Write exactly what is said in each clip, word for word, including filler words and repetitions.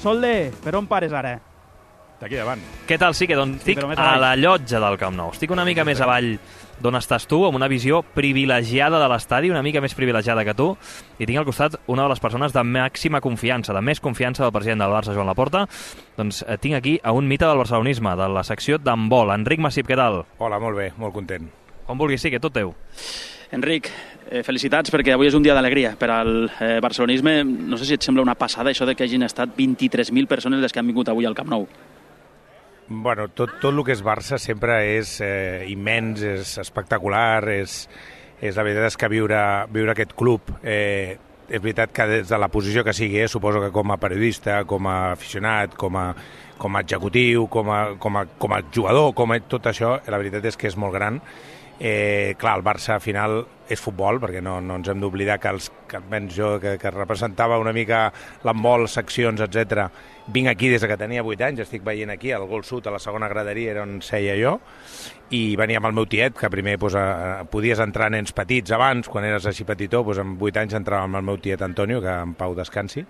Solde, per on pares ara? D'aquí davant. Què tal? Sí, que doncs estic sí, a la llotja del Camp Nou. Estic una mica més avall d'on estàs tu, amb una visió privilegiada de l'estadi, una mica més privilegiada que tu, i tinc al costat una de les persones de màxima confiança, de més confiança del president del Barça, Joan Laporta. Doncs eh, tinc aquí a un mite del barcelonisme, de la secció d'handbol. Enric Massip, què tal? Hola, molt bé, molt content. Com vulguis, sí, que tot teu. Enric, eh, felicitats perquè avui és un dia d'alegria per al eh, barcelonisme. No sé si et sembla una passada això de que hagin estat vint-i-tres mil persones les que han vingut avui al Camp Nou. Bueno, tot, tot el que és Barça sempre és eh, immens, és espectacular, és, és la veritat és que viure, viure aquest club, eh, és veritat que des de la posició que sigui, eh, suposo que com a periodista, com a aficionat, com a, com a executiu, com a, com a, com a jugador, com a tot això, la veritat és que és molt gran. Eh, clar, el Barça al final és futbol, perquè no, no ens hem d'oblidar que, els, que almenys jo, que, que representava una mica l'handbol, seccions, etcètera. Vinc aquí des que tenia vuit anys, estic veient aquí, al Gol Sud, a la segona graderia, era on seia jo, i venia amb el meu tiet, que primer doncs, a, podies entrar nens petits abans, quan eres així petitó, doncs, amb vuit anys entrava amb el meu tiet Antonio, que en pau descansi,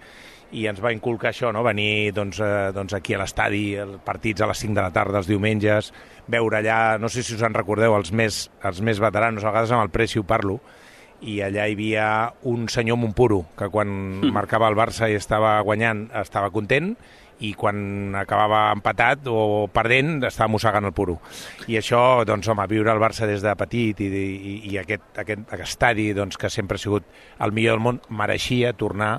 i ens va inculcar això, no? Venir doncs, eh, doncs aquí a l'estadi, els partits a les cinc de la tarda, els diumenges, veure allà, no sé si us en recordeu, els més, els més veteranos, a vegades amb el Preci ho parlo, i allà hi havia un senyor Montpuro, que quan mm. marcava el Barça i estava guanyant estava content, i quan acabava empatat o perdent estava mossegant el puro. I això, doncs, home, viure al Barça des de petit i, i, i aquest, aquest, aquest estadi doncs, que sempre ha sigut el millor del món, mereixia tornar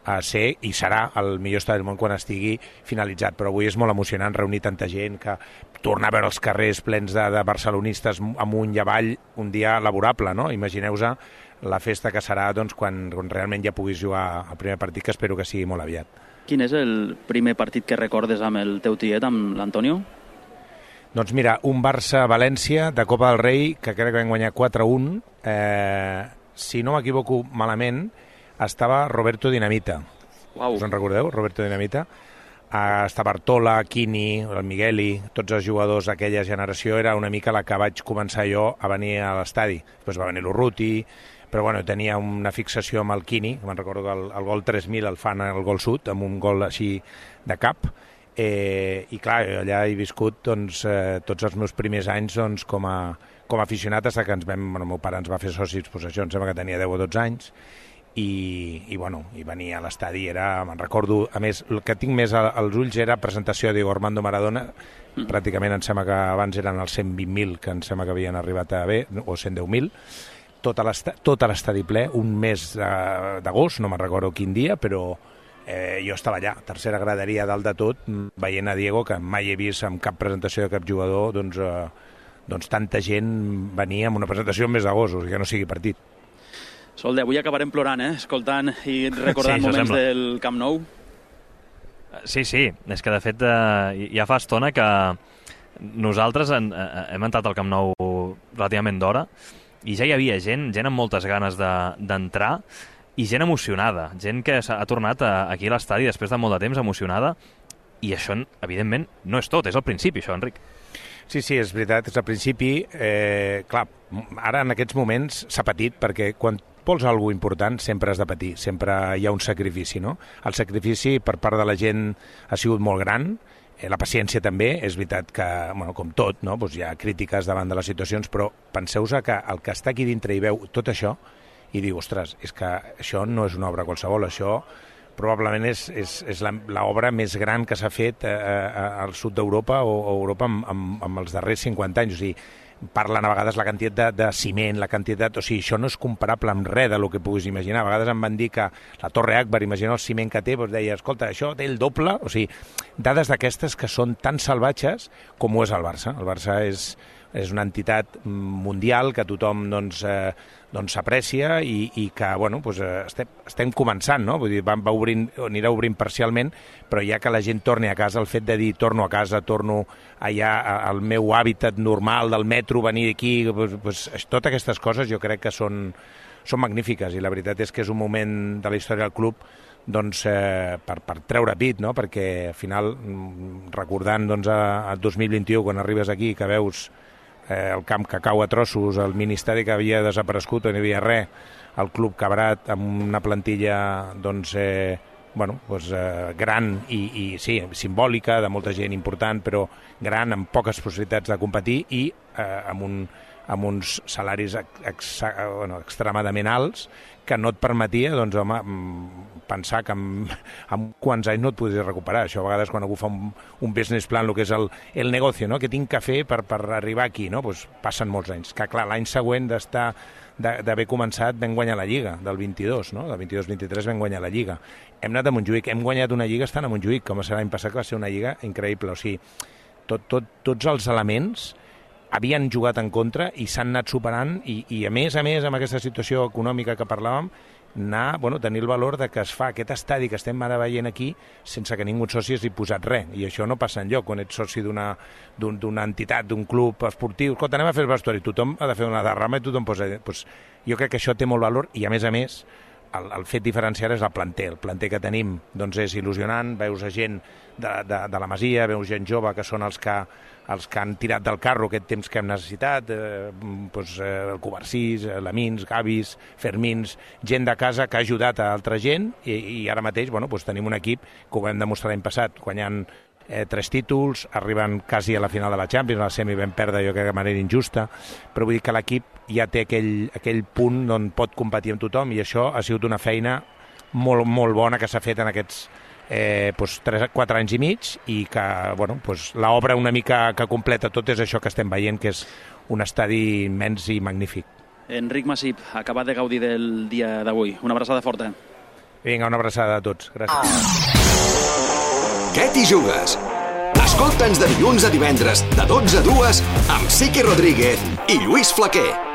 a ser i serà el millor estadi del món quan estigui finalitzat. Però avui és molt emocionant reunir tanta gent, que tornar a veure els carrers plens de, de barcelonistes amunt i avall, un dia laborable, no? Imagineu-vos la festa que serà doncs, quan, quan realment ja puguis jugar el primer partit, que espero que sigui molt aviat. Quin és el primer partit que recordes amb el teu tiet, amb l'Antonio? Doncs mira, un Barça-València de Copa del Rei, que crec que vam guanyar quatre a un. Eh, si no m'equivoco malament, estava Roberto Dinamita. Uau. Us en recordeu, Roberto Dinamita? Uh, estava Artola, Quini, el Migueli, tots els jugadors d'aquella generació. Era una mica la que vaig començar jo a venir a l'estadi. Després va venir l'Urruti, però bueno, tenia una fixació amb el Quini, me'n recordo que el, el gol tres mil el fan al Gol Sud, amb un gol així de cap. Eh, I clar, allà he viscut doncs, eh, tots els meus primers anys doncs, com, a, com a aficionat, fins que ens vam, bueno, el meu pare ens va fer socis possessió, em sembla que tenia deu o dotze anys, i, i, bueno, i venir a l'estadi era, me'n recordo, a més, el que tinc més als ulls era presentació de Diego Armando Maradona, mm. pràcticament em sembla que abans eren els cent vint mil, que em sembla que havien arribat a bé, o cent deu mil, tot l'estadi ple, un mes d'agost, no me'n recordo quin dia, però eh, jo estava allà, tercera graderia dalt de tot, veient a Diego, que mai he vist en cap presentació de cap jugador, doncs, eh, doncs tanta gent venia amb una presentació el mes d'agost, o sigui que no sigui partit. Solde, avui acabarem plorant, eh? Escoltant i recordant sí, moments sembla. Del Camp Nou. Sí, sí, és que de fet eh, ja fa estona que nosaltres en, eh, hem entrat al Camp Nou relativament d'hora i ja hi havia gent, gent amb moltes ganes d'entrar de, i gent emocionada, gent que ha tornat a, aquí a l'estadi després de molt de temps emocionada, i això, evidentment, no és tot, és el principi, això, Enric. Sí, sí, és veritat, és al principi. Eh, clar, ara en aquests moments s'ha patit, perquè quan vols alguna important sempre has de patir, sempre hi ha un sacrifici, no? El sacrifici per part de la gent ha sigut molt gran, eh, la paciència també, és veritat que, bueno, com tot, no? Pues hi ha crítiques davant de les situacions, però penseu-vos que el que està aquí dintre i veu tot això i diu, ostres, és que això no és una obra qualsevol, això probablement és, és, és l'obra més gran que s'ha fet eh, al sud d'Europa o a Europa amb, amb, amb els darrers cinquanta anys. O sigui, parlen a vegades la quantitat de, de ciment, la quantitat... O sigui, això no és comparable amb res del que puguis imaginar. A vegades em van dir que la Torre Akbar, imagina el ciment que té, doncs deia, escolta, això té el doble... O sigui, dades d'aquestes que són tan salvatges com ho és el Barça. El Barça és, és una entitat mundial que tothom doncs, eh, doncs s'aprecia i, i que, bueno, doncs, eh, estem, estem començant, no? Vull dir, va, va obrint, anirà obrint parcialment, però ja que la gent torni a casa, el fet de dir torno a casa, torno allà al meu hàbitat normal del metro, venir aquí, doncs, doncs, totes aquestes coses jo crec que són, són magnífiques, i la veritat és que és un moment de la història del club doncs, eh, per, per treure pit, no? Perquè al final, recordant doncs, a, a dos mil vint-i-u, quan arribes aquí, que veus eh, el camp que cau a trossos, el ministeri que havia desaparegut, on hi havia res, el club quebrat amb una plantilla doncs, eh, bueno, doncs, eh, gran i, i sí, simbòlica, de molta gent important, però gran, amb poques possibilitats de competir i eh, amb, un, amb uns salaris ex, ex, bueno, extremadament alts que no et permetia, doncs, home, pensar que en, en quants anys no et podries recuperar. Això a vegades quan algú fa un, un business plan, el que és el, el negoci, no? Que tinc que fer per, per arribar aquí, no? Pues passen molts anys. Que clar, l'any següent d'estar d'haver començat vam guanyar la Lliga del vint-i-dos, no? Del vint-i-dos vint-i-tres vam guanyar la Lliga. Hem anat a Montjuïc, hem guanyat una Lliga estant a Montjuïc, com a ser l'any passat, que va ser una Lliga increïble. O sigui, tot, tot, tots els elements havien jugat en contra i s'han anat superant i, i a més a més amb aquesta situació econòmica que parlàvem, anar, bueno, tenir el valor de que es fa aquest estadi que estem ara veient aquí sense que ningú soci hagi posat res, i això no passa enlloc quan ets soci d'una d'un, d'una entitat, d'un club esportiu. Escolta, anem a fer el vestuari, tothom ha de fer una derrama i tothom posa... Pues, jo crec que això té molt valor i a més a més el, el fet diferencial és el planter. El planter que tenim doncs és il·lusionant, veus a gent de, de, de la Masia, veus gent jove que són els que, els que han tirat del carro aquest temps que hem necessitat, eh, doncs, eh, el Covarsís, eh, Lamins, Gavis, Fermins, gent de casa que ha ajudat a altra gent i, i ara mateix bueno, doncs tenim un equip que ho vam demostrar l'any passat, guanyant eh, tres títols, arribant quasi a la final de la Champions, a la semi vam perdre jo crec de manera injusta, però vull dir que l'equip ja té aquell, aquell punt on pot competir amb tothom i això ha sigut una feina molt, molt bona que s'ha fet en aquests eh, doncs, tres, quatre anys i mig i que bueno, doncs, l'obra una mica que completa tot és això que estem veient, que és un estadi immens i magnífic. Enric Masip, acabat de gaudir del dia d'avui. Una abraçada forta. Vinga, una abraçada a tots. Gràcies. Què t'hi jugues? Escolta'ns de dilluns a divendres de dotze a dues amb Siqui Rodríguez i Lluís Flaquer.